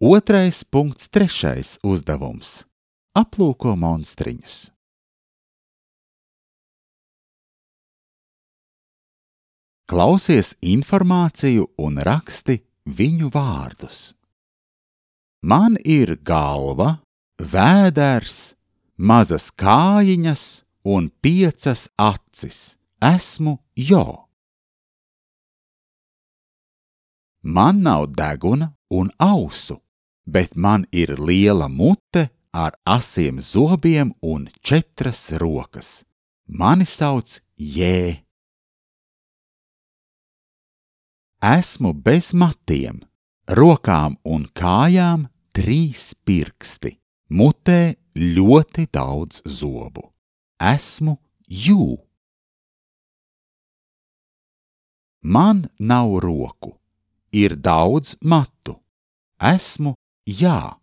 2.3. uzdevums. Aplūko monstriņus. Klausies informāciju un raksti viņu vārdus. Man ir galva, vēders, mazas kājiņas un 5 acis. Esmu Jo. Man nav deguna un ausu, bet man ir liela mute ar asiem zobiem un 4 rokas. Mani sauc Jē. Esmu bez matiem, rokām un kājām 3 pirksti, mutē ļoti daudz zobu. Esmu Jū. Man nav roku, ir daudz matu. Esmu Jā.